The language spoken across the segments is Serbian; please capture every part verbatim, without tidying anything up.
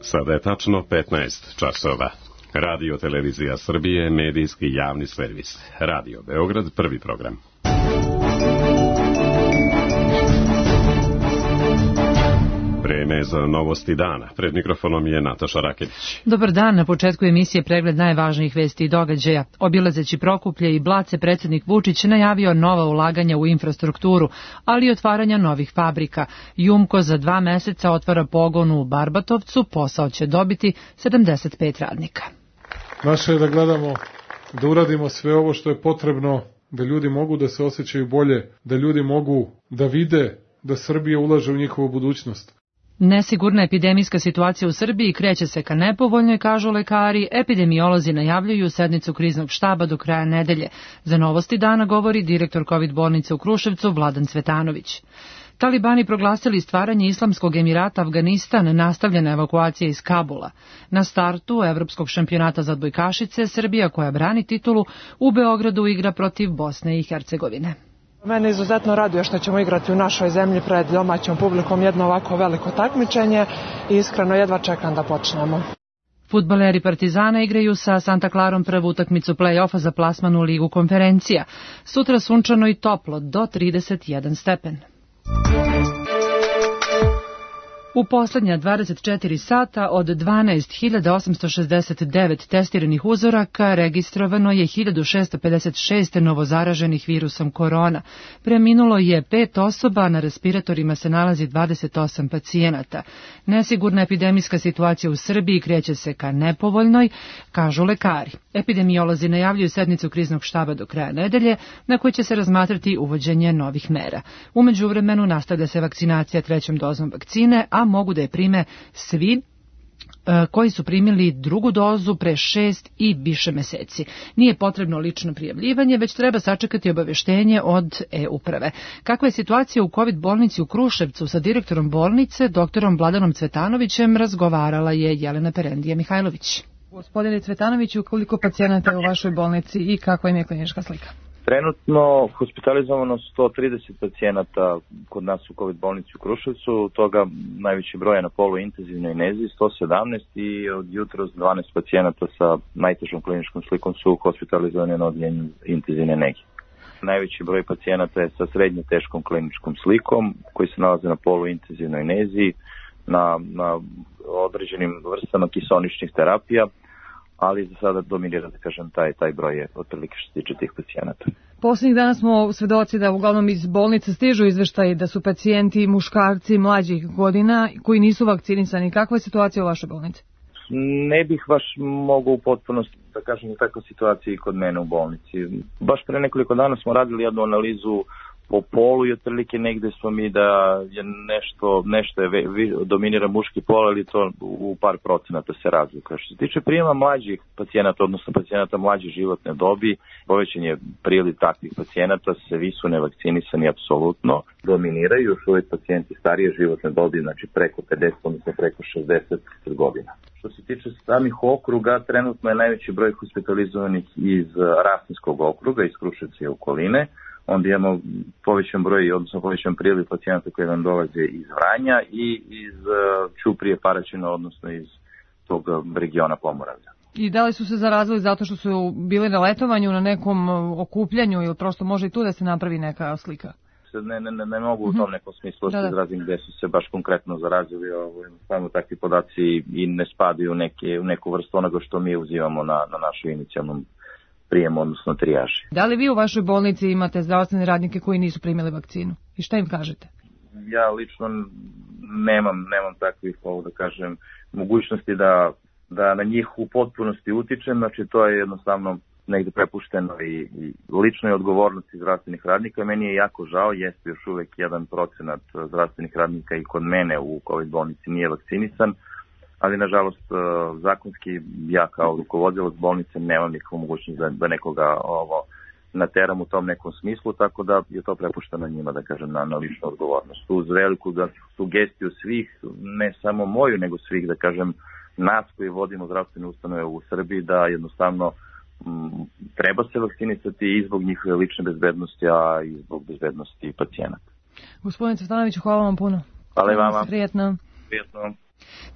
Sada je tačno petnaest časova. Radio Televizija Srbije, medijski javni servis. Radio Beograd, prvi program. Vreme za novosti dana. Pred mikrofonom je Nataša Raketić. Dobar dan, na početku emisije pregled najvažnijih vesti i događaja. Obilazeći Prokuplje i Blace, predsjednik Vučić najavio nova ulaganja u infrastrukturu, ali i otvaranja novih fabrika. Jumko za dva meseca otvara pogon u Barbatovcu, posao će dobiti sedamdeset pet radnika. Naše je da gledamo, da uradimo sve ovo što je potrebno, da ljudi mogu da se osjećaju bolje, da ljudi mogu da vide da Srbija ulaže u njihovu budućnost. Nesigurna epidemijska situacija u Srbiji kreće se ka nepovoljnoj, kažu lekari. Epidemiolozi najavljuju sednicu kriznog štaba do kraja nedelje. Za novosti dana govori direktor kovid bolnice u Kruševcu Vladan Cvetanović. Talibani proglasili stvaranje Islamskog Emirata Afganistan, nastavljena evakuacija iz Kabula. Na startu Evropskog šampionata za odbojkašice, Srbija, koja brani titulu, u Beogradu igra protiv Bosne i Hercegovine. Mene izuzetno raduje što ćemo igrati u našoj zemlji pred domaćom publikom jedno ovako veliko takmičenje i iskreno jedva čekam da počnemo. Fudbaleri Partizana igraju sa Santa Clarom prvu utakmicu play-offa za plasman u Ligu konferencija. Sutra sunčano i toplo, do trideset jedan stepen. U posljednja dvadeset četiri sata od dvanaest hiljada osamsto šezdeset devet testiranih uzoraka registrovano je hiljadu šessto pedeset šest novozaraženih virusom korona. Preminulo je pet osoba, na respiratorima se nalazi dvadeset osam pacijenata. Nesigurna epidemijska situacija u Srbiji kreće se ka nepovoljnoj, kažu lekari. Epidemiolozi najavljuju sednicu kriznog štaba do kraja nedelje, na kojoj će se razmatrati uvođenje novih mera. U međuvremenu nastavlja se vakcinacija trećom dozom vakcine, a mogu da je prime svi koji su primili drugu dozu pre šest i više meseci. Nije potrebno lično prijavljivanje, već treba sačekati obaveštenje od e-uprave. Kakva je situacija u kovid bolnici u Kruševcu? Sa direktorom bolnice, doktorom Vladanom Cvetanovićem, razgovarala je Jelena Perendija Mihajlović. Gospodine Cvetanoviću, koliko pacijenata je u vašoj bolnici i kakva im je klinička slika? Trenutno hospitalizovano sto trideset pacijenata kod nas u kovid bolnici u Kruševcu, toga najveći broj je na poluintenzivnoj nezi, sto sedamnaest, i od jutros dvanaest pacijenata sa najtežom kliničkom slikom su hospitalizovani na odjeljenju intenzivne nege. Najveći broj pacijenata je sa srednje teškom kliničkom slikom koji se nalaze na poluintenzivnoj nezi, na, na određenim vrstama kiseoničnih terapija, ali za sada dominira, da kažem, taj, taj broj je otprilike što se tiče tih pacijenata. Posljednjih dana smo svedoci da uglavnom iz bolnice stižu izveštaji da su pacijenti muškarci mlađih godina koji nisu vakcinisani. Kakva je situacija u vašoj bolnici? Ne bih baš mogao u potpunosti da kažem da takva situacija i kod mene u bolnici. Baš pre nekoliko dana smo radili jednu analizu po polu i otprilike negde smo mi da je nešto, nešto je dominira muški pol, ali to u par procenata se razlika. Što se tiče prijema mlađih pacijenata, odnosno pacijenata mlađe životne dobi, povećan je priliv takvih pacijenata, svi su nevakcinisani apsolutno, dominiraju još uvijek pacijenti starije životne dobi, znači preko pedeset, odnosno preko šezdeset godina. Što se tiče samih okruga, trenutno je najveći broj hospitalizovanih iz Rasinskog okruga, iz Kruševca i okoline. Onda imamo povećan broj, odnosno povećan priliv pacijenata koji nam dolaze iz Vranja i iz Ćuprije, Paraćina, odnosno iz tog regiona Pomoravlja. I da li su se zarazili zato što su bili na letovanju, na nekom okupljanju, ili prosto može i tu da se napravi neka slika? Ne, ne, ne, ne mogu u tom nekom smislu da se izrazim gde su se baš konkretno zarazili. Samo takvi podaci i ne spadaju u, neke, u neku vrstu onoga što mi uzimamo na, na našoj inicijalnom prijemu, odnosno trijaži. Da li vi u vašoj bolnici imate zdravstvene radnike koji nisu primili vakcinu? I šta im kažete? Ja lično nemam, nemam takvih, ovo da kažem, mogućnosti da, da na njih u potpunosti utičem, znači to je jednostavno negde prepušteno i, i ličnoj odgovornosti zdravstvenih radnika. Meni je jako žao, jeste još uvek jedan procenat zdravstvenih radnika i kod mene u kovid bolnici nije vakcinisan, ali nažalost zakonski ja kao rukovodilac bolnice nemam nikakvu mogućnost da, da nekoga ovo nateram u tom nekom smislu, tako da je to prepušteno njima, da kažem, na, na ličnu odgovornost. Uz veliku da, sugestiju svih, ne samo moju, nego svih, da kažem, nas koji vodimo zdravstvene ustanove u Srbiji, da jednostavno m, treba se vakcinisati i zbog njihove lične bezbednosti, a i zbog bezbednosti pacijenata. Gospodine Cvetanoviću, hvala vam puno. Hvala i vama. Prijetno. Prijetno.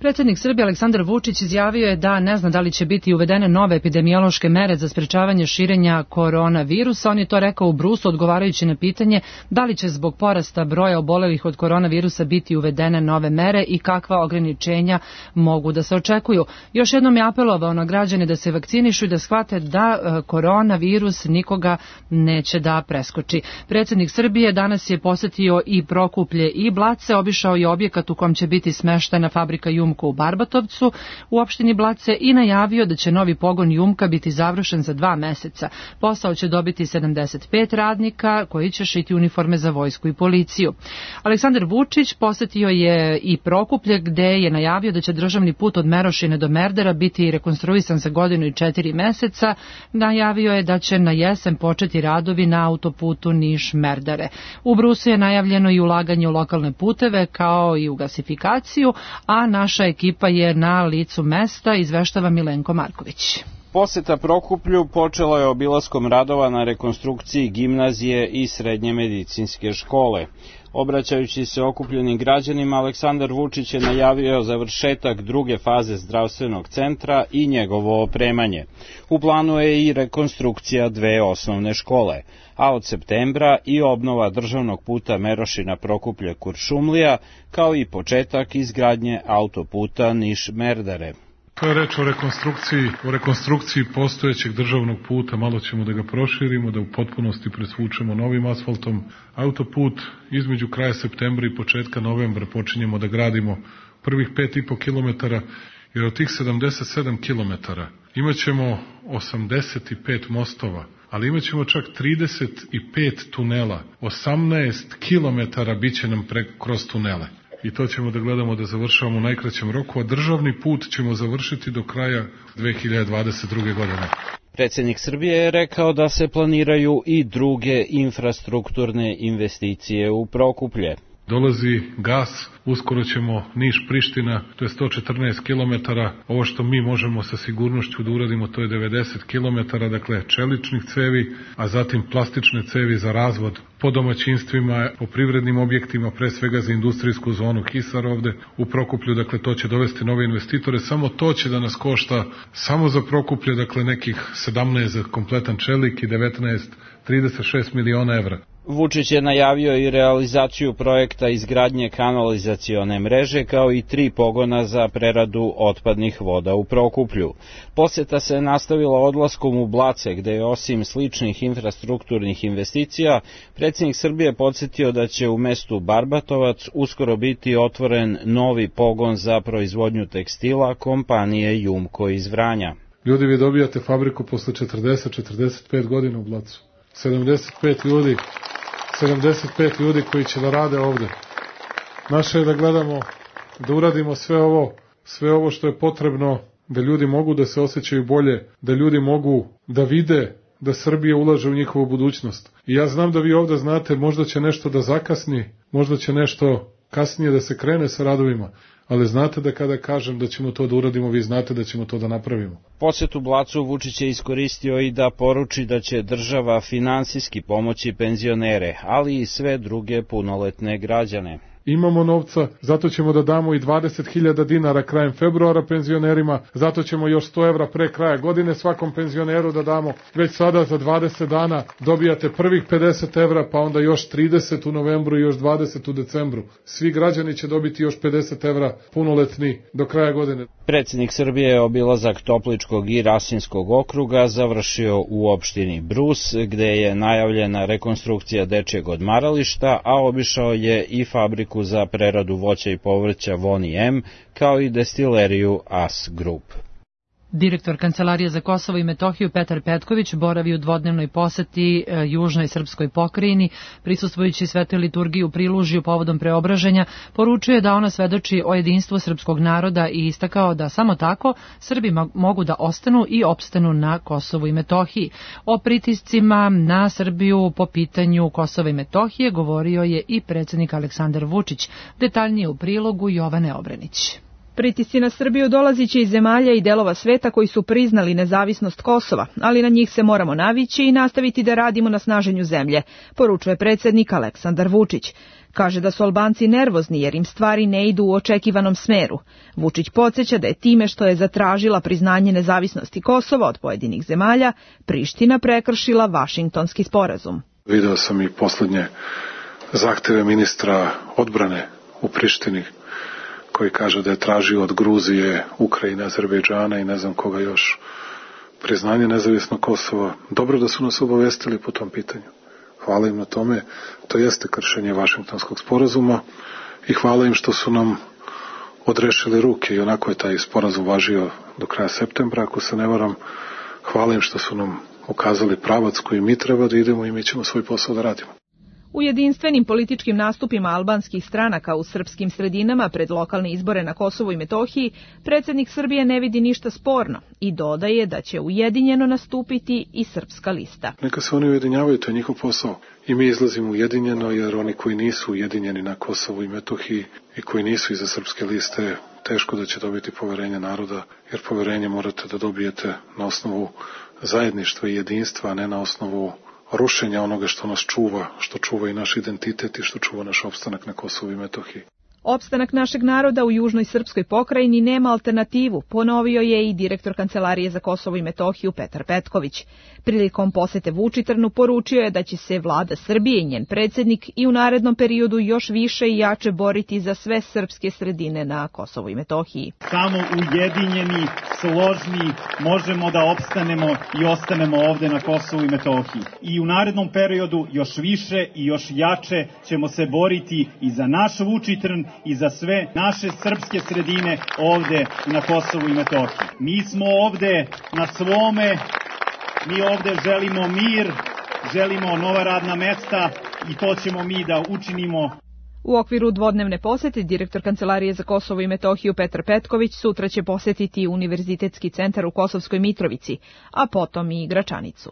Predsjednik Srbije Aleksandar Vučić izjavio je da ne zna da li će biti uvedene nove epidemiološke mere za sprečavanje širenja koronavirusa. On je to rekao u Brusu odgovarajući na pitanje da li će zbog porasta broja obolelih od koronavirusa biti uvedene nove mere i kakva ograničenja mogu da se očekuju. Još jednom je apelovao na građane da se vakcinišu i da shvate da koronavirus nikoga neće da preskoči. Predsjednik Srbije danas je posetio i Prokuplje i Blace, obišao je objekat u kom će biti smeštena fabrika Jumko u Barbatovcu u opštini Blace i najavio da će novi pogon Jumka biti završen za dva meseca. Posao će dobiti sedamdeset pet radnika koji će šiti uniforme za vojsku i policiju. Aleksandar Vučić posetio je i Prokuplje gde je najavio da će državni put od Merošine do Merdara biti rekonstruisan za godinu i četiri meseca. Najavio je da će na jesen početi radovi na autoputu Niš-Merdare. U Brusu je najavljeno i ulaganje u lokalne puteve kao i u gasifikaciju, a naša ekipa je na licu mesta, izveštava Milenko Marković. Poseta Prokuplju počela je obilaskom radova na rekonstrukciji gimnazije i srednje medicinske škole. Obraćajući se okupljenim građanima, Aleksandar Vučić je najavio završetak druge faze zdravstvenog centra i njegovo opremanje. U planu je i rekonstrukcija dve osnovne škole, a od septembra i obnova državnog puta Merošina Prokuplje Kuršumlija, kao i početak izgradnje autoputa Niš-Merdare. To je reč o rekonstrukciji, o rekonstrukciji postojećeg državnog puta, malo ćemo da ga proširimo, da u potpunosti presvučemo novim asfaltom. Autoput između kraja septembra i početka novembra počinjemo da gradimo prvih pet i po kilometara, jer od tih sedamdeset sedam kilometara imat ćemo osamdeset pet mostova, ali imat ćemo čak trideset pet tunela, osamnaest kilometara bit će nam pre, kroz tunele. I to ćemo da gledamo da završavamo u najkraćem roku, a državni put ćemo završiti do kraja dve hiljade dvadeset druge. godine. Predsjednik Srbije je rekao da se planiraju i druge infrastrukturne investicije u Prokuplje. Dolazi gas, uskoro ćemo Niš-Priština, to je sto četrnaest kilometara, ovo što mi možemo sa sigurnošću da uradimo to je devedeset kilometara, dakle čeličnih cevi, a zatim plastične cevi za razvod po domaćinstvima, po privrednim objektima, pre svega za industrijsku zonu Hisar ovde u Prokuplju, dakle to će dovesti nove investitore, samo to će da nas košta samo za Prokuplje, dakle nekih sedamnaest za kompletan čelik i devetnaest, trideset šest miliona evra. Vučić je najavio i realizaciju projekta izgradnje kanalizacione mreže kao i tri pogona za preradu otpadnih voda u Prokuplju. Poseta se nastavila odlaskom u Blace, gde je osim sličnih infrastrukturnih investicija, predsjednik Srbije podsjetio da će u mestu Barbatovac uskoro biti otvoren novi pogon za proizvodnju tekstila kompanije Jumko iz Vranja. Ljudi, vi dobijate fabriku posle četrdeset četrdeset pet godina u Blacu. sedamdeset pet ljudi, sedamdeset pet ljudi koji će da rade ovde. Naše je da gledamo, da uradimo sve ovo, sve ovo što je potrebno, da ljudi mogu da se osjećaju bolje, da ljudi mogu da vide da Srbija ulaže u njihovu budućnost. I ja znam da vi ovde znate, možda će nešto da zakasni, možda će nešto kasnije da se krene sa radovima, ali znate da kada kažem da ćemo to da uradimo, vi znate da ćemo to da napravimo. Posetu Blacu Vučić je iskoristio i da poruči da će država finansijski pomoći penzionere, ali i sve druge punoletne građane. Imamo novca, zato ćemo da damo i dvadeset hiljada dinara krajem februara penzionerima, zato ćemo još sto evra pre kraja godine svakom penzioneru da damo. Već sada za dvadeset dana dobijate prvih pedeset evra, pa onda još trideset u novembru i još dvadeset u decembru. Svi građani će dobiti još pedeset evra punoletni do kraja godine. Predsjednik Srbije je obilazak Topličkog i Rasinskog okruga završio u opštini Brus, gde je najavljena rekonstrukcija dečjeg odmarališta, a obišao je i fabriku za preradu voća i povrća Voni M, kao i destileriju As Group. Direktor Kancelarije za Kosovo i Metohiju Petar Petković boravi u dvodnevnoj poseti e, južnoj srpskoj pokrajini, prisustvujući svetoj liturgiji u Prilužju povodom preobraženja, poručuje da ona svedoči o jedinstvu srpskog naroda i istakao da samo tako Srbi mogu da ostanu i opstanu na Kosovu i Metohiji. O pritiscima na Srbiju po pitanju Kosova i Metohije govorio je i predsjednik Aleksandar Vučić. Detaljnije u prilogu Jovane Obrenić. Pritisci na Srbiju dolaziće iz zemalja i delova sveta koji su priznali nezavisnost Kosova, ali na njih se moramo navići i nastaviti da radimo na snaženju zemlje, poručuje predsjednik Aleksandar Vučić. Kaže da su Albanci nervozni jer im stvari ne idu u očekivanom smeru. Vučić podsjeća da je time što je zatražila priznanje nezavisnosti Kosova od pojedinih zemalja, Priština prekršila Vašingtonski sporazum. Video sam i poslednje zahteve ministra odbrane u Prištini, koji kaže da je tražio od Gruzije, Ukrajine, Azerbejdžana i ne znam koga još priznanje nezavisnog Kosova. Dobro da su nas obavestili po tom pitanju. Hvala im na tome. To jeste kršenje Vašingtonskog sporazuma i hvala im što su nam odrešili ruke i onako je taj sporazum važio do kraja septembra, ako se ne varam. Hvala im što su nam ukazali pravac koji mi treba da idemo i mi ćemo svoj posao da radimo. U jedinstvenim političkim nastupima albanskih stranaka u srpskim sredinama pred lokalne izbore na Kosovu i Metohiji, predsjednik Srbije ne vidi ništa sporno i dodaje da će ujedinjeno nastupiti i srpska lista. Neka se oni ujedinjavaju, to je njihov posao. I mi izlazimo ujedinjeno jer oni koji nisu ujedinjeni na Kosovu i Metohiji i koji nisu iza srpske liste, teško da će dobiti poverenje naroda, jer poverenje morate da dobijete na osnovu zajedništva i jedinstva, a ne na osnovu rušenja onoga što nas čuva, što čuva i naš identitet i što čuva naš opstanak na Kosovu i Metohiji. Opstanak našeg naroda u južnoj srpskoj pokrajini nema alternativu, ponovio je i direktor Kancelarije za Kosovo i Metohiju Petar Petković. Prilikom posete Vučitrnu poručio je da će se vlada Srbije i njen predsjednik i u narednom periodu još više i jače boriti za sve srpske sredine na Kosovu i Metohiji. Samo ujedinjeni, složni možemo da opstanemo i ostanemo ovde na Kosovu i Metohiji. I u narednom periodu još više i još jače ćemo se boriti i za naš Vučitrn i za sve naše srpske sredine ovde na Kosovu i Metohiji. Mi smo ovde na svome, mi ovde želimo mir, želimo nova radna mesta i to ćemo mi da učinimo. U okviru dvodnevne posete direktor Kancelarije za Kosovo i Metohiju Petar Petković sutra će posetiti Univerzitetski centar u Kosovskoj Mitrovici, a potom i Gračanicu.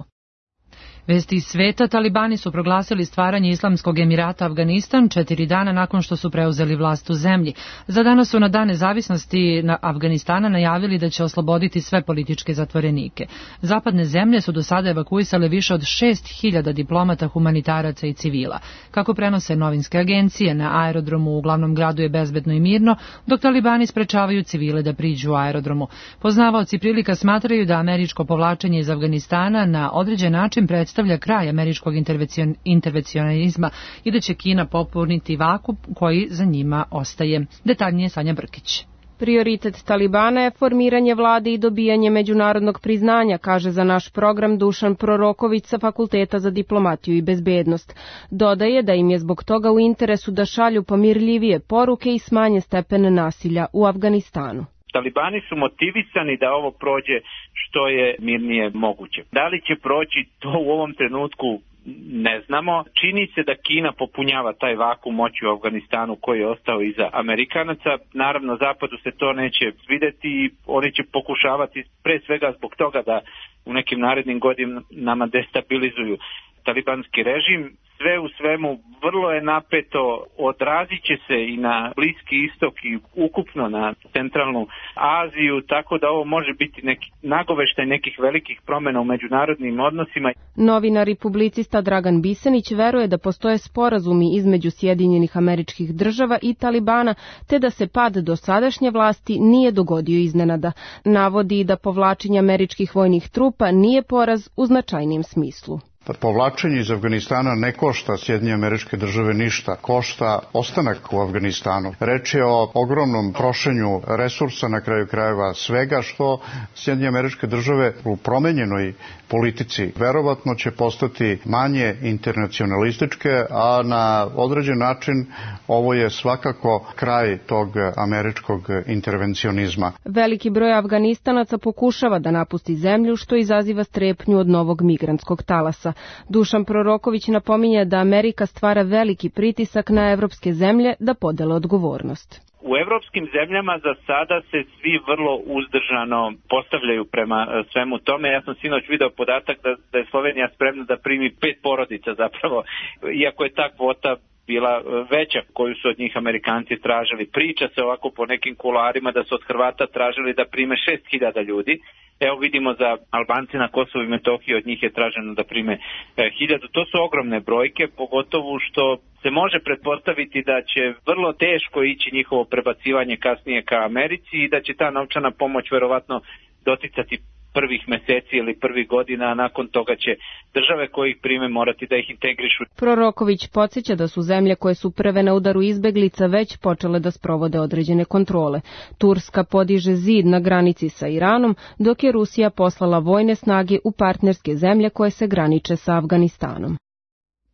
Vesti iz sveta, talibani su proglasili stvaranje Islamskog Emirata Afganistan četiri dana nakon što su preuzeli vlast u zemlji. Za danas su na dan nezavisnosti na Afganistana najavili da će osloboditi sve političke zatvorenike. Zapadne zemlje su do sada evakuisale više od šest hiljada diplomata, humanitaraca i civila. Kako prenose novinske agencije, na aerodromu u glavnom gradu je bezbedno i mirno, dok talibani sprečavaju civile da priđu u aerodromu. Poznavaoci prilika smatraju da američko povlačenje iz Afganistana na određen način predstavlja predstavlja kraj američkog intervencionizma i da će Kina popuniti vakuum koji za njima ostaje. Detaljnije Sanja Brkić. Prioritet Talibana je formiranje vlade i dobijanje međunarodnog priznanja, kaže za naš program Dušan Proroković sa Fakulteta za diplomatiju i bezbednost. Dodaje da im je zbog toga u interesu da šalju pomirljivije poruke i smanje stepen nasilja u Afganistanu. Talibani su motivisani da ovo prođe što je mirnije moguće. Da li će proći, to u ovom trenutku ne znamo. Čini se da Kina popunjava taj vakuum moći u Afganistanu koji je ostao iza Amerikanaca. Naravno, Zapadu se to neće svideti i oni će pokušavati pre svega zbog toga da u nekim narednim godinama destabilizuju talibanski režim. Sve u svemu vrlo je napeto, odrazit će se i na Bliski istok i ukupno na centralnu Aziju, tako da ovo može biti neki nagoveštaj nekih velikih promjena u međunarodnim odnosima. Novinar i publicista Dragan Bisenić veruje da postoje sporazumi između Sjedinjenih Američkih Država i Talibana, te da se pad dosadašnje vlasti nije dogodio iznenada. Navodi da povlačenje američkih vojnih trupa nije poraz u značajnijem smislu. Povlačenje iz Afganistana ne košta Sjedinjene Američke Države ništa, košta ostanak u Afganistanu. Reč je o ogromnom trošenju resursa, na kraju krajeva svega što Sjedinjene Američke Države u promenjenoj politici verovatno će postati manje internacionalističke, a na određen način ovo je svakako kraj tog američkog intervencionizma. Veliki broj Afganistanaca pokušava da napusti zemlju, što izaziva strepnju od novog migrantskog talasa. Dušan Proroković napominje da Amerika stvara veliki pritisak na evropske zemlje da podele odgovornost. U evropskim zemljama za sada se svi vrlo uzdržano postavljaju prema svemu tome. Ja sam sinoć video podatak da, da je Slovenija spremna da primi pet porodica zapravo, iako je ta kvota bila veća koju su od njih Amerikanci tražili. Priča se ovako po nekim kuloarima da su od Hrvata tražili da prime šest hiljada ljudi. Evo vidimo za Albance na Kosovu i Metohiji od njih je traženo da prime hiljadu. To su ogromne brojke, pogotovo što se može pretpostaviti da će vrlo teško ići njihovo prebacivanje kasnije ka Americi i da će ta novčana pomoć verovatno doticati prvih meseci ili prvih godina, a nakon toga će države koje ih prime morati da ih integrišu. Proroković podsjeća da su zemlje koje su prve na udaru izbeglica već počele da sprovode određene kontrole. Turska podiže zid na granici sa Iranom, dok je Rusija poslala vojne snage u partnerske zemlje koje se graniče sa Afganistanom.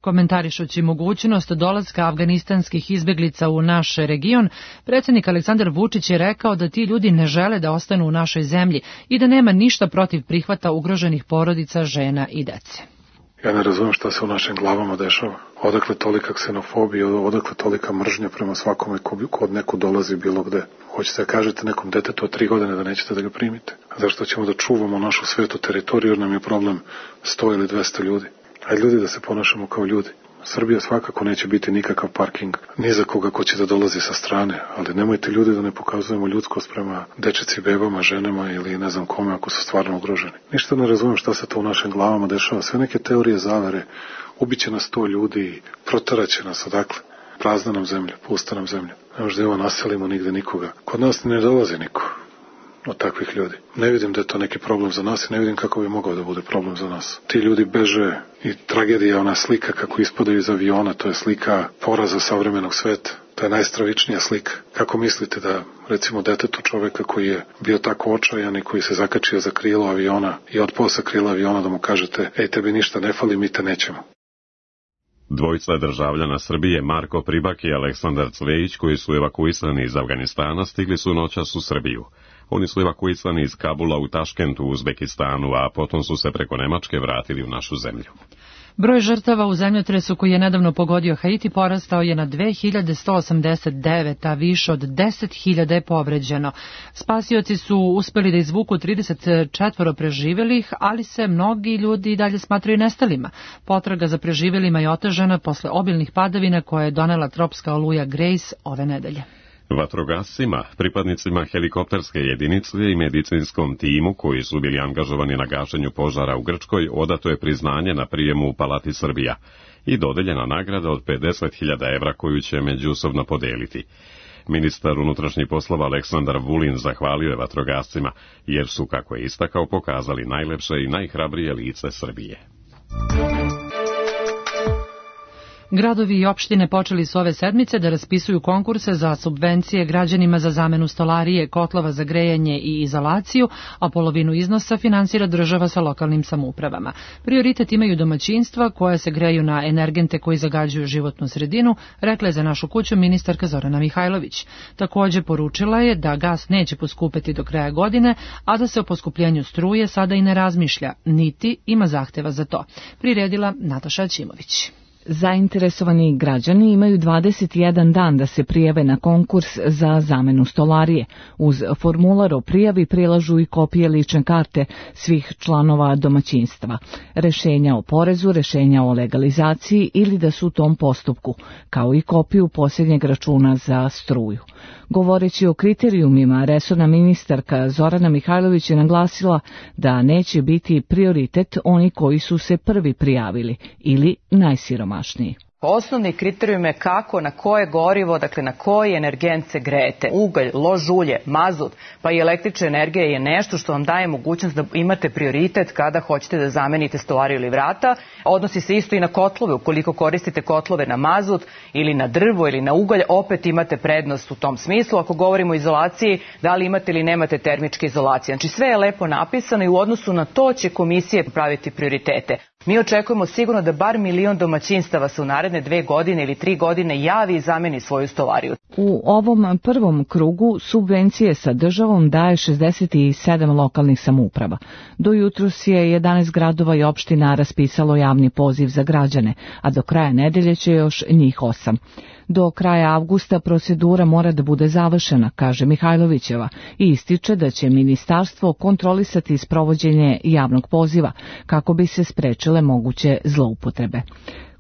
Komentarišući mogućnost dolaska afganistanskih izbeglica u naš region, predsjednik Aleksandar Vučić je rekao da ti ljudi ne žele da ostanu u našoj zemlji i da nema ništa protiv prihvata ugroženih porodica, žena i dece. Ja ne razumem šta se u našim glavama dešava. Odakle tolika ksenofobija, odakle tolika mržnja prema svakome ko od neku dolazi bilo gde. Hoćete da kažete nekom detetu od tri godine da nećete da ga primite? Zašto ćemo da čuvamo našu svetu teritoriju jer nam je problem sto ili dvesta ljudi? Hajde ljudi da se ponašamo kao ljudi. Srbija svakako neće biti nikakav parking, ni za koga ko će da dolazi sa strane, ali nemojte ljudi da ne pokazujemo ljudskost prema dečeci, bebama, ženama ili ne znam kome ako su stvarno ugroženi. Ništa ne razumem šta se to u našim glavama dešava, sve neke teorije zavere, ubiće nas sto ljudi, protaraće nas odakle. Prazna nam zemlja, pusta nam zemlja. Ne možda evo naselimo nigde nikoga. Kod nas ne dolazi niko od takvih ljudi. Ne vidim da je to neki problem za nas i ne vidim kako bi mogao da bude problem za nas. Ti ljudi beže i tragedija, ona slika kako ispadaju iz aviona, to je slika poraza savremenog sveta. To je najstravičnija slika. Kako mislite da, recimo, detetu čoveka koji je bio tako očajan i koji se zakačio za krilo aviona i otpao sa krila aviona da mu kažete, ej, tebi ništa ne fali, mi te nećemo. Dvojica državljana Srbije, Marko Pribak i Aleksandar Cvejić, koji su evakuisani iz Afganistana, stigli su noćas u Srbiju. Oni su evakuisani iz Kabula u Taškentu u Uzbekistanu, a potom su se preko Nemačke vratili u našu zemlju. Broj žrtava u zemljotresu koji je nedavno pogodio Haiti porastao je na dve hiljade sto osamdeset devet, a više od deset hiljada je povređeno. Spasioci su uspeli da izvuku trideset četvoro preživelih, ali se mnogi ljudi i dalje smatraju nestalima. Potraga za preživelima je otežana posle obilnih padavina koje je donela tropska oluja Grace ove nedelje. Vatrogascima, pripadnicima helikopterske jedinice i medicinskom timu koji su bili angažovani na gašenju požara u Grčkoj odato je priznanje na prijemu u Palati Srbija i dodeljena nagrada od pedeset hiljada evra koju će međusobno podeliti. Ministar unutrašnjih poslova Aleksandar Vulin zahvalio je vatrogascima jer su, kako je istakao, pokazali najlepše i najhrabrije lice Srbije. Gradovi i opštine počeli su ove sedmice da raspisuju konkurse za subvencije građanima za zamenu stolarije, kotlova za grejanje i izolaciju, a polovinu iznosa finansira država sa lokalnim samoupravama. Prioritet imaju domaćinstva koja se greju na energente koji zagađuju životnu sredinu, rekla je za našu kuću ministarka Zorana Mihajlović. Takođe poručila je da gas neće poskupeti do kraja godine, a da se o poskupljenju struje sada i ne razmišlja, niti ima zahteva za to. Priredila Nataša Ćimović. Zainteresovani građani imaju dvadeset jedan dan da se prijave na konkurs za zamenu stolarije. Uz formular o prijavi prilažu i kopije lične karte svih članova domaćinstva, rešenja o porezu, rešenja o legalizaciji ili da su u tom postupku, kao i kopiju posljednjeg računa za struju. Govoreći o kriterijumima, resorna ministarka Zorana Mihajlović je naglasila da neće biti prioritet oni koji su se prvi prijavili ili najsiromašniji. Osnovni kriterijum je kako, na koje gorivo, dakle na koji energent se grejete. Ugalj, lož ulje, mazut, pa i električna energija je nešto što vam daje mogućnost da imate prioritet kada hoćete da zamenite stolariju ili vrata. Odnosi se isto i na kotlove. Ukoliko koristite kotlove na mazut ili na drvo ili na ugalj, opet imate prednost u tom smislu. Ako govorimo o izolaciji, da li imate ili nemate termičke izolacije. Znači sve je lepo napisano i u odnosu na to će komisije praviti prioritete. Mi očekujemo sigurno da bar milion domaćinstava se u naredne dve godine ili tri godine javi i zameni svoju stolariju. U ovom prvom krugu subvencije sa državom daje šezdeset sedam lokalnih samouprava. Do jutros je jedanaest gradova i opština raspisalo javni poziv za građane, a do kraja nedelje će još njih osam. Do kraja avgusta procedura mora da bude završena, kaže Mihajlovićeva, i ističe da će ministarstvo kontrolisati sprovođenje javnog poziva kako bi se sprečile moguće zloupotrebe.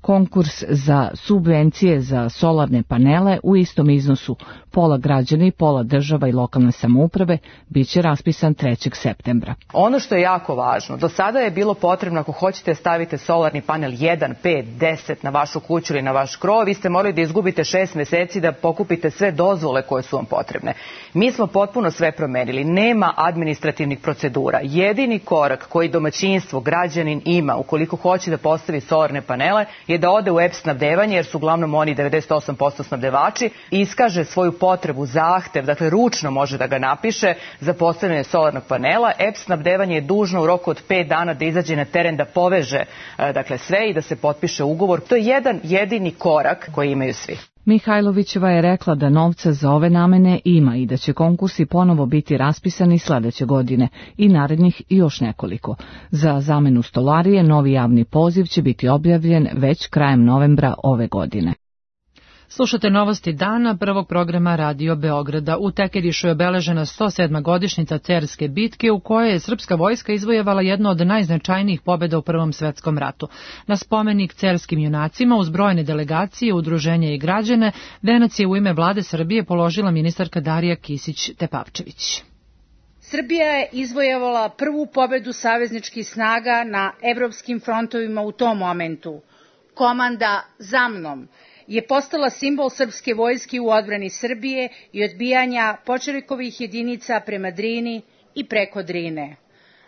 Konkurs za subvencije za solarne panele u istom iznosu, pola građana i pola država i lokalne samouprave, biće raspisan trećeg septembra. Ono što je jako važno, do sada je bilo potrebno ako hoćete stavite solarni panel jedan, pet, deset na vašu kuću ili na vaš krov, vi ste morali da izgubite šest meseci da pokupite sve dozvole koje su vam potrebne. Mi smo potpuno sve promenili, nema administrativnih procedura. Jedini korak koji domaćinstvo, građanin ima ukoliko hoće da postavi solarne panele je da ode u E P snabdevanje, jer su uglavnom oni devedeset osam posto snabdevači, i iskaže svoju potrebu, zahtev, dakle ručno može da ga napiše za postavljanje solarnog panela. E P snabdevanje je dužno u roku od pet dana da izađe na teren, da poveže dakle sve i da se potpiše ugovor. To je jedan jedini korak koji imaju svi. Mihajlovićeva je rekla da novca za ove namene ima i da će konkursi ponovo biti raspisani sledeće godine i narednih još nekoliko. Za zamenu stolarije novi javni poziv će biti objavljen već krajem novembra ove godine. Slušate novosti dana prvog programa Radio Beograda. U Tekirišu je obeležena sto sedma godišnjica Cerske bitke u kojoj je srpska vojska izvojevala jednu od najznačajnijih pobjeda u Prvom svetskom ratu. Na spomenik cerskim junacima uz brojne delegacije, udruženja i građane, venac je u ime vlade Srbije položila ministarka Darija Kisić-Tepavčević. Srbija je izvojevala prvu pobjedu savezničkih snaga na evropskim frontovima u tom momentu. Komanda "Za mnom" je postala simbol srpske vojske u odbrani Srbije i odbijanja Počerekovih jedinica prema Drini i preko Drine.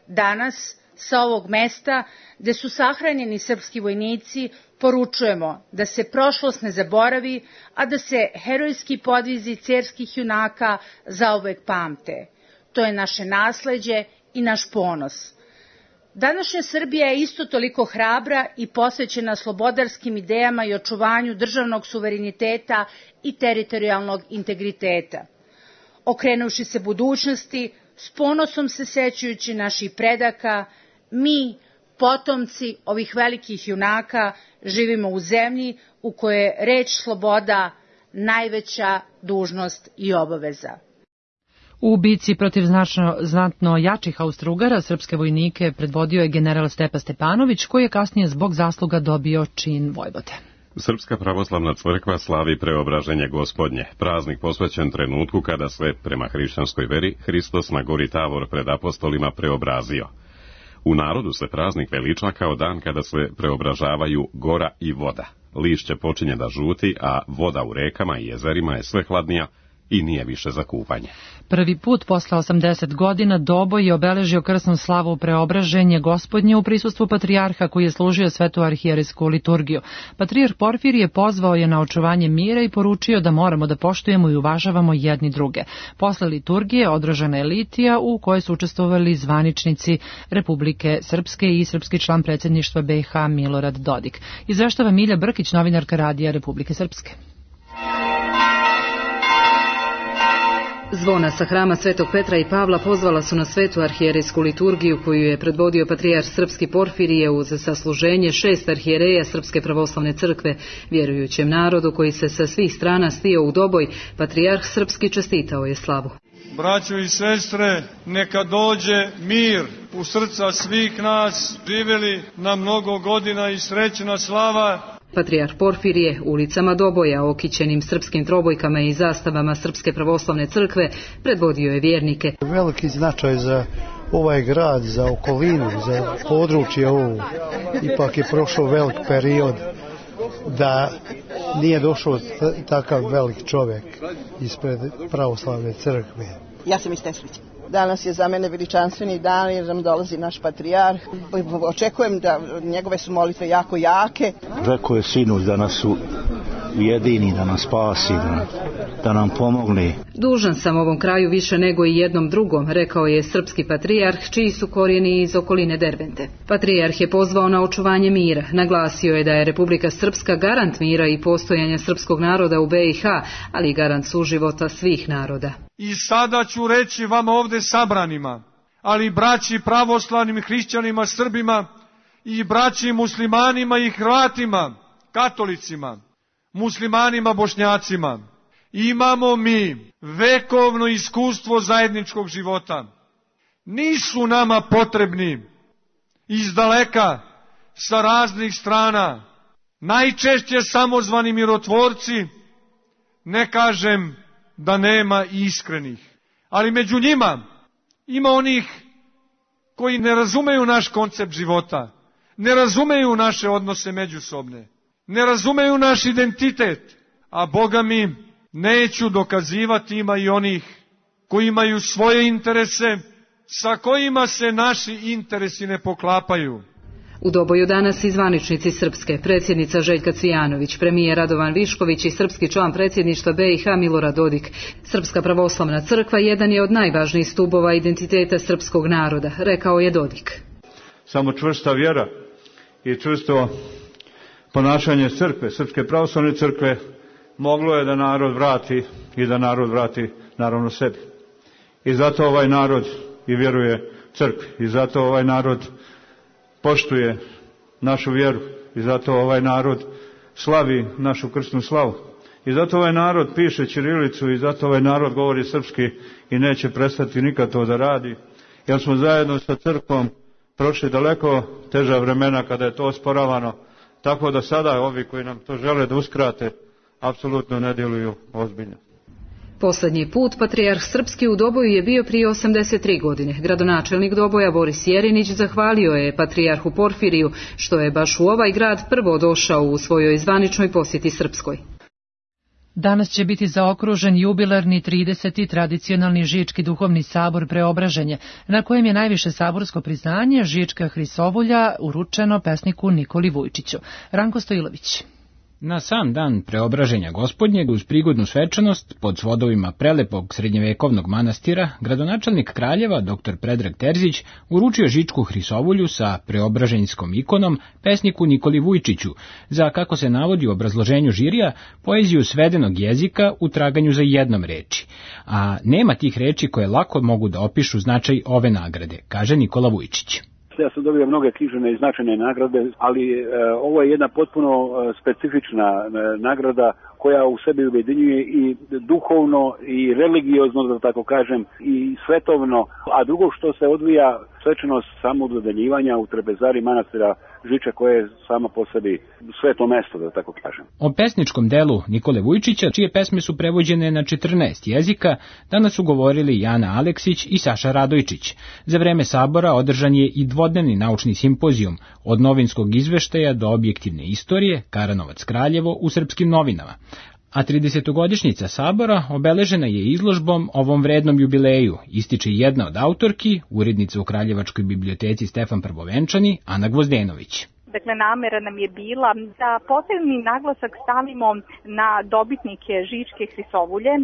Danas, sa ovog mesta, gde su sahranjeni srpski vojnici, poručujemo da se prošlost ne zaboravi, a da se herojski podvizi cerskih junaka zauvek pamte. To je naše nasleđe i naš ponos. Današnja Srbija je isto toliko hrabra i posvećena slobodarskim idejama i očuvanju državnog suvereniteta i teritorijalnog integriteta. Okrenuvši se budućnosti, s ponosom se sećajući naših predaka, mi, potomci ovih velikih junaka, živimo u zemlji u kojoj je reč sloboda najveća dužnost i obaveza. U bici protiv značno, znatno jačih Austro-Ugara srpske vojnike predvodio je general Stepa Stepanović, koji je kasnije zbog zasluga dobio čin vojvode. Srpska pravoslavna crkva slavi Preobraženje Gospodnje, praznik posvećen trenutku kada se, prema hrišćanskoj veri, Hristos na gori Tavor pred apostolima preobrazio. U narodu se praznik veliča kao dan kada se preobražavaju gora i voda. Lišće počinje da žuti, a voda u rekama i jezerima je sve hladnija i nije više za kupanje. Prvi put posle osamdeset godina Doboj je obeležio krsnu slavu Preobraženje Gospodnje u prisustvu patrijarha koji je služio svetu arhijerejsku liturgiju. Patrijarh Porfirije pozvao je na očuvanje mira i poručio da moramo da poštujemo i uvažavamo jedni druge. Posle liturgije održana je litija u kojoj su učestvovali zvaničnici Republike Srpske i srpski član predsjedništva B iH Milorad Dodik. Izveštava Milja Brkić, novinarka Radija Republike Srpske. Zvona sa hrama Svetog Petra i Pavla pozvala su na svetu arhijerejsku liturgiju koju je predvodio patrijarh Srpski Porfirije uz sasluženje šest arhijereja Srpske pravoslavne crkve. Vjerujućem narodu koji se sa svih strana stio u Doboj, patrijarh Srpski čestitao je slavu. Braćo i sestre, neka dođe mir u srca svih nas, živjeli na mnogo godina i srećna slava. Patrijarh Porfirije ulicama Doboja, okićenim srpskim trobojkama i zastavama Srpske pravoslavne crkve, predvodio je vjernike. Veliki značaj za ovaj grad, za okolinu, za područje ovo. Ipak je prošao velik period da nije došao takav velik čovjek ispred pravoslavne crkve. Ja sam iz Teslića. Danas je za mene veličanstveni dan jer nam dolazi naš patrijarh. Očekujem da njegove su molitve jako jake. Rekao je sinoć da nas su ujedini, da nas spasi, da, da nam pomogne. Dužan sam ovom kraju više nego i jednom drugom, rekao je srpski patrijarh, čiji su korijeni iz okoline Dervente. Patrijarh je pozvao na očuvanje mira. Naglasio je da je Republika Srpska garant mira i postojanja srpskog naroda u be i ha, ali i garant suživota svih naroda. I sada ću reći vama ovde sabranima, ali braći pravoslavnim hrišćanima, Srbima i braći muslimanima i Hrvatima, katolicima, muslimanima, bošnjacima, imamo mi vekovno iskustvo zajedničkog života. Nisu nama potrebni iz daleka, sa raznih strana, najčešće samozvani mirotvorci, ne kažem da nema iskrenih, ali među njima ima onih koji ne razumeju naš koncept života, ne razumeju naše odnose međusobne, ne razumeju naš identitet, a Boga mi neću dokazivati, ima i onih koji imaju svoje interese sa kojima se naši interesi ne poklapaju. U Doboju danas i zvaničnici Srpske, predsjednica Željka Cvijanović, premijer Radovan Višković i srpski član predsjedništva be i ha Milorad Dodik. Srpska pravoslavna crkva jedan je od najvažnijih stubova identiteta srpskog naroda, rekao je Dodik. Samo čvrsta vjera i čvrsto ponašanje crkve, Srpske pravoslavne crkve, moglo je da narod vrati i da narod vrati naravno sebi. I zato ovaj narod i vjeruje crkvi, i zato ovaj narod poštuje našu vjeru, i zato ovaj narod slavi našu krstnu slavu. I zato ovaj narod piše ćirilicu, i zato ovaj narod govori srpski i neće prestati nikad to da radi, jer smo zajedno sa crkvom prošli daleko teža vremena kada je to osporavano, tako da sada ovi koji nam to žele da uskrate apsolutno ne djeluju ozbiljno. Poslednji put patrijarh srpski u Doboju je bio prije osamdeset tri godine. Gradonačelnik Doboja Boris Jerinić zahvalio je patrijarhu Porfiriju što je baš u ovaj grad prvo došao u svojoj zvaničnoj posjeti Srpskoj. Danas će biti zaokružen jubilarni trideseti tradicionalni Žički duhovni sabor Preobraženje, na kojem je najviše saborsko priznanje Žička Hrisovulja uručeno pesniku Nikoli Vujčiću. Ranko Stojilović. Na sam dan Preobraženja Gospodnjeg, uz prigodnu svečanost pod svodovima prelepog srednjevekovnog manastira, gradonačelnik Kraljeva, dr Predrag Terzić, uručio Žičku Hrisovulju sa preobraženjskom ikonom pesniku Nikoli Vujčiću, za, kako se navodi u obrazloženju žirija, poeziju svedenog jezika u traganju za jednom reči. A nema tih reči koje lako mogu da opišu značaj ove nagrade, kaže Nikola Vujčić. Ja sam dobio mnoge književne i značajne nagrade, ali e, ovo je jedna potpuno e, specifična e, nagrada koja u sebi ujedinjuje i duhovno i religiozno, da tako kažem, i svetovno, a drugo što se odvija svečanost samododeljivanja u trpezari manastira Žiča, koje je sama po sebi sveto mesto, da tako kažem. O pesničkom delu Nikole Vujčića, čije pesme su prevođene na četrnaest jezika, danas su govorili Jana Aleksić i Saša Radojčić. Za vreme sabora održan je i dvodnevni naučni simpozijum od novinskog izveštaja do objektivne istorije Karanovac Kraljevo u srpskim novinama. A tridesetogodišnjica sabora obeležena je izložbom ovom vrednom jubileju, ističe jedna od autorki, urednica u Kraljevačkoj biblioteci Stefan Prvovenčani, Ana Gvozdenović. Dakle, namera nam je bila da posebni naglasak stavimo na dobitnike Žičke Hrisovulje,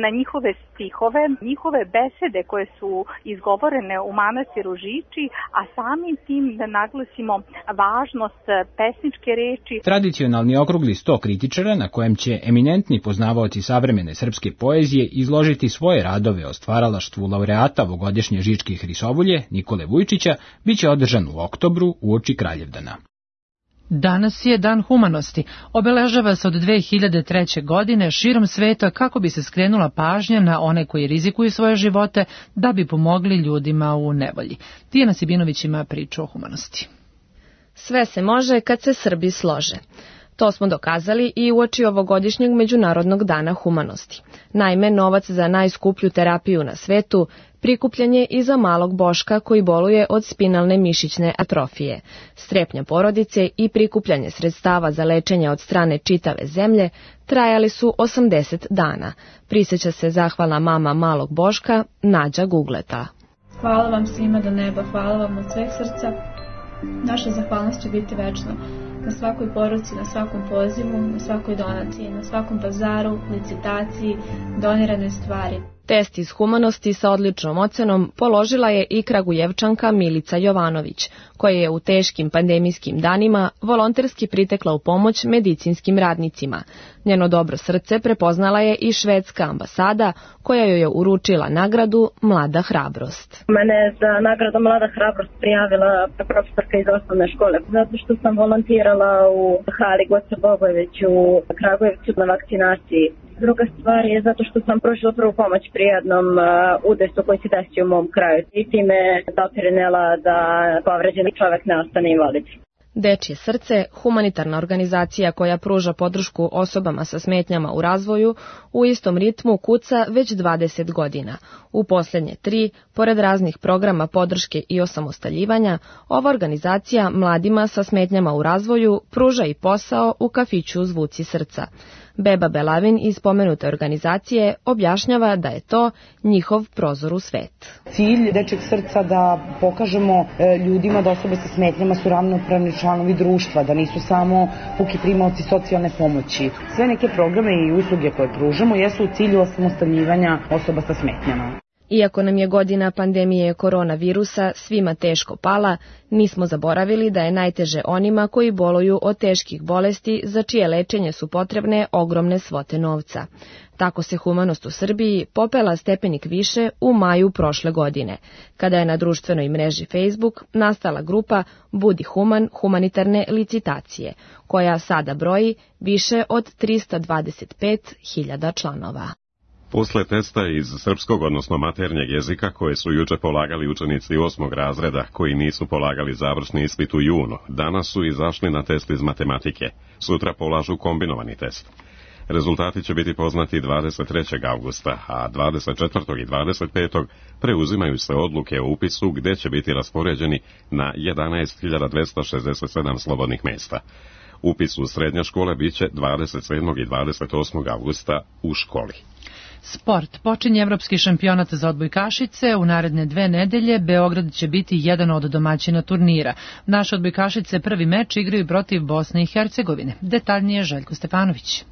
na njihove stihove, njihove besede koje su izgovorene u manastiru Žiči, a samim tim da naglasimo važnost pesničke reči. Tradicionalni okrugli sto kritičara, na kojem će eminentni poznavaoci savremene srpske poezije izložiti svoje radove o stvaralaštvu laureata ovogodišnje Žičke Hrisovulje Nikole Vujčića, biće održan u oktobru uoči Kraljevdana. Danas je Dan humanosti. Obeležava se od dve hiljade treće. godine širom sveta kako bi se skrenula pažnja na one koji rizikuju svoje živote da bi pomogli ljudima u nevolji. Tijana Sibinović ima priču o humanosti. Sve se može kad se Srbi slože. To smo dokazali i uoči ovogodišnjeg Međunarodnog dana humanosti. Naime, novac za najskuplju terapiju na svetu prikupljen je i za malog Boška koji boluje od spinalne mišićne atrofije. Strepnja porodice i prikupljanje sredstava za lečenje od strane čitave zemlje trajali su osamdeset dana. Prisjeća se zahvalna mama malog Boška, Nađa Gugleta. Hvala vam svima do neba, hvala vam od sveg srca. Naša zahvalnost će biti večna. na svakoj poruci, na svakom pozivu, na svakoj donaciji, na svakom pazaru, licitaciji, doniranoj stvari. Test iz humanosti sa odličnom ocenom položila je i Kragujevčanka Milica Jovanović, koja je u teškim pandemijskim danima volonterski pritekla u pomoć medicinskim radnicima. Njeno dobro srce prepoznala je i švedska ambasada, koja joj je uručila nagradu Mlada hrabrost. Mene je za nagradu Mlada hrabrost prijavila profesorka iz osnovne škole, zato što sam volontirala u hali Goce Bogojević u Kragujevcu na vakcinaciji. Druga stvar je zato što sam pružila prvu pomoć pri jednom uh, udesu koji se desio u mom kraju i time doprinela da povređeni čovek ne ostane invalid. Dečje srce, humanitarna organizacija koja pruža podršku osobama sa smetnjama u razvoju, u istom ritmu kuca već dvadeset godina. U posljednje tri, pored raznih programa podrške i osamostaljivanja, ova organizacija mladima sa smetnjama u razvoju pruža i posao u kafiću Zvuci srca. Beba Belavin iz spomenute organizacije objašnjava da je to njihov prozor u svet. Cilj Dečjeg srca da pokažemo ljudima da osobe sa smetnjama su ravnopravni članovi društva, da nisu samo puki primaoci socijalne pomoći. Sve neke programe i usluge koje pružamo jesu u cilju osamostaljivanja osoba sa smetnjama. Iako nam je godina pandemije koronavirusa svima teško pala, nismo zaboravili da je najteže onima koji boluju od teških bolesti za čije lečenje su potrebne ogromne svote novca. Tako se humanost u Srbiji popela stepenik više u maju prošle godine, kada je na društvenoj mreži Facebook nastala grupa Budi human humanitarne licitacije, koja sada broji više od trista dvadeset pet hiljada članova. Posle testa iz srpskog, odnosno maternjeg jezika, koje su juče polagali učenici osmog razreda koji nisu polagali završni ispit u junu, danas su izašli na test iz matematike. Sutra polažu kombinovani test. Rezultati će biti poznati dvadeset trećeg avgusta, a dvadeset četvrtog i dvadeset petog preuzimaju se odluke o upisu gde će biti raspoređeni na jedanaest hiljada dvesta šezdeset sedam slobodnih mesta. Upis u srednje škole biće dvadeset sedmog i dvadeset osmog avgusta u školi. Sport. Počinje evropski šampionat za odbojkašice. U naredne dve nedelje Beograd će biti jedan od domaćina turnira. Naše odbojkašice prvi meč igraju protiv Bosne i Hercegovine. Detaljnije Željko Stefanović.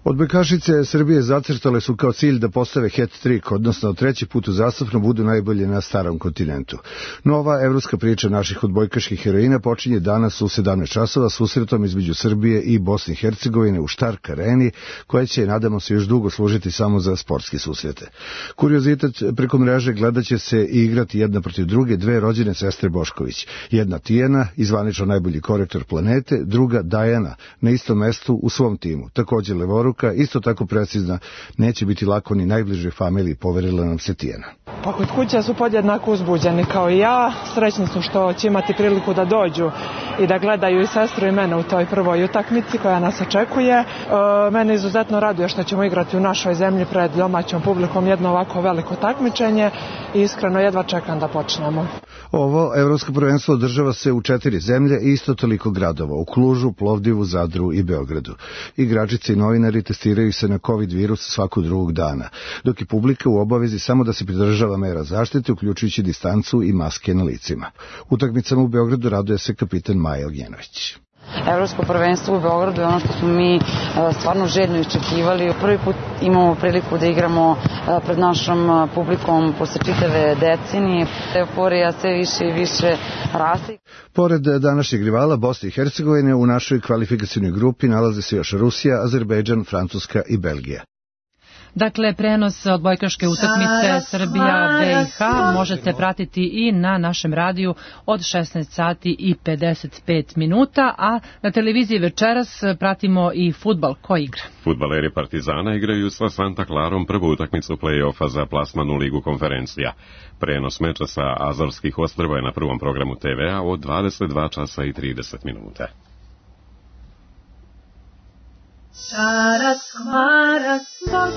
Odbojkašice Srbije zacrtale su kao cilj da postave hat-trick, odnosno treći put uzastopno budu najbolje na starom kontinentu. Nova evropska priča naših odbojkaških heroina počinje danas u sedamnaest časova susretom između Srbije i Bosne i Hercegovine u Štark areni, koja će, nadamo se, još dugo služiti samo za sportske susrete. Kuriozitet, preko mreže gledat će se i igrati jedna protiv druge dve rođene sestre Bošković. Jedna Tijana, izvanično najbolji korektor planete, druga Dajana, na istom mestu u svom timu. Također levoruka, isto tako precizna, neće biti lako ni najbližoj familiji, poverila nam se Tijana. Pa kod kuće su podjednako uzbuđeni kao i ja, srećni su što će imati priliku da dođu i da gledaju i sestru i mene u toj prvoj utakmici koja nas očekuje. E, mene izuzetno raduje što ćemo igrati u našoj zemlji pred domaćom publikom jedno ovako veliko takmičenje i iskreno jedva čekam da počnemo. Ovo evropsko prvenstvo održava se u četiri zemlje i isto toliko gradova, u Klužu, Plovdivu, Zadru i Beogradu. Igračice i novinari testiraju se na COVID virus svakog drugog dana, dok je publika u obavezi samo da se pridržava mera zaštite, uključujući distancu i maske na licima. Utakmicama u Beogradu raduje se kapitan Maja Ognjenović. Evropsko prvenstvo u Beogradu je ono što smo mi stvarno željno iščekivali. Prvi put imamo priliku da igramo pred našom publikom posle čitave decenije. Euforija sve više i više raste. Pored današnjeg rivala Bosne i Hercegovine, u našoj kvalifikacijnoj grupi nalaze se još Rusija, Azerbejdžan, Francuska i Belgija. Dakle, prenos odbojkaške utakmice Srbija B i H možete pratiti i na našem radiju od šesnaest sati i pedeset pet minuta, a na televiziji večeras pratimo i fudbal. Ko igra? Fudbaleri Partizana igraju sa Santa Clarom prvu utakmicu play-offa za plasman u Ligu konferencija. Prenos meča sa Azorskih ostrva je na prvom programu te ve a od dvadeset dva časa i trideset minuta.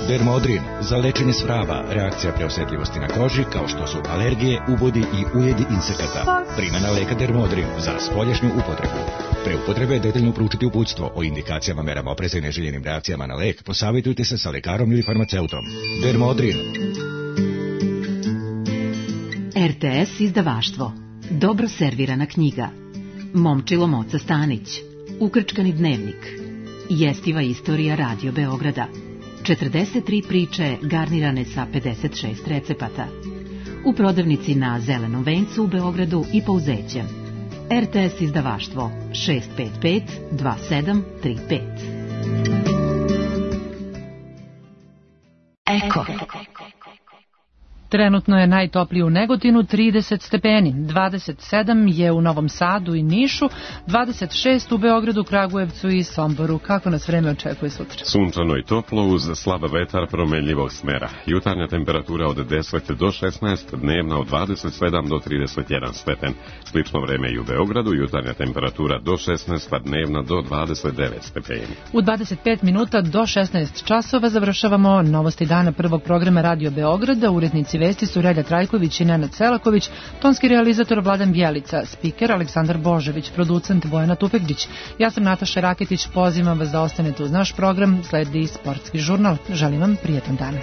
Dermodrin za lečenje svraba, reakcija preosetljivosti na koži kao što su alergije, ubodi i ujedi insekata. Primjena leka Dermodrin za spoljašnju upotrebu. Pre upotrebe detaljno proučiti uputstvo o indikacijama, merama opreza i neželjenim reakcijama na lek. Posavitujte se sa lekarom ili farmaceutom. Dermodrin. er te es izdavaštvo. Dobro servirana knjiga. Momčilo Moca Stanić. Ukrčkani dnevnik, jestiva istorija Radio Beograda, četrdeset tri priče garnirane sa pedeset šest recepata. U prodavnici na Zelenom vencu u Beogradu i Pouzećem. R T S izdavaštvo šest pet pet dva sedam tri pet. Eko. Trenutno je najtoplije u Negotinu trideset stepeni, dvadeset sedam je u Novom Sadu i Nišu, dvadeset šest u Beogradu, Kragujevcu i Somboru. Kako nas vreme očekuje sutra? Sunčano i toplo uz slab vetar promenljivog smera. Jutarnja temperatura od deset do šesnaest, dnevna od dvadeset sedam do trideset jedan stepen. Slično vreme i u Beogradu, jutarnja temperatura do šesnaest, a dnevna do dvadeset devet stepeni. U dvadeset pet minuta do šesnaest časova završavamo novosti dana prvog programa Radio Beograda. Urednici vesti su Relja Trajković i Nenad Selaković, tonski realizator Vladan Bjelica, spiker Aleksandar Božević, producent Bojana Tupegdić. Ja sam Nataša Raketić, pozivam vas da ostanete uz naš program, sledi sportski žurnal. Želim vam prijetan dan.